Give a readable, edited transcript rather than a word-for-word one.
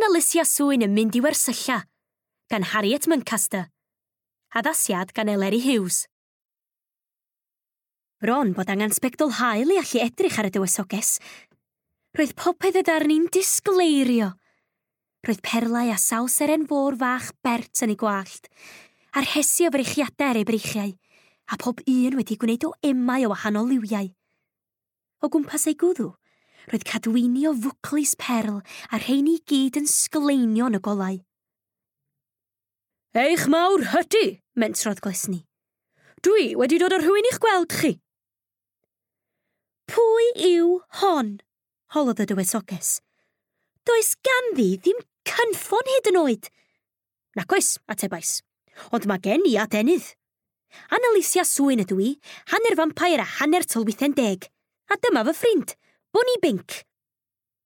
Analysia Swyn yn mynd i wersylla, gan Harriet Muncaster. Addasiad gan Eleri Hughes. Bron bod angen sbectol haul i allu edrych ar y dywysoges. Roedd popeth y darni'n disgleirio. Roedd perlau a sawl seren fôr fach bert yn ei gwallt, a'r rhesi o freichiadau ar ei breichiau, a pob un wedi gwneud o emau o wahanol liwiau. O gwmpas ei gwddw, roedd cadwyni o fwclis perl a rheini i gyd yn sgleinio yn y golau. Eich mawr hydy, mentrodd Glesni. Dwi wedi dod â rhywun i'ch gweld chi. Pwy yw hon? holodd y dywysoges. Does ganddi ddim cynffon hyd yn oed. Nac oes, atebais, ond mae gen i adenydd. Annalisia Swyn ydw i, hanner vampire a hanner tylwythen deg. A dyma fy ffrind, Bunny Bink.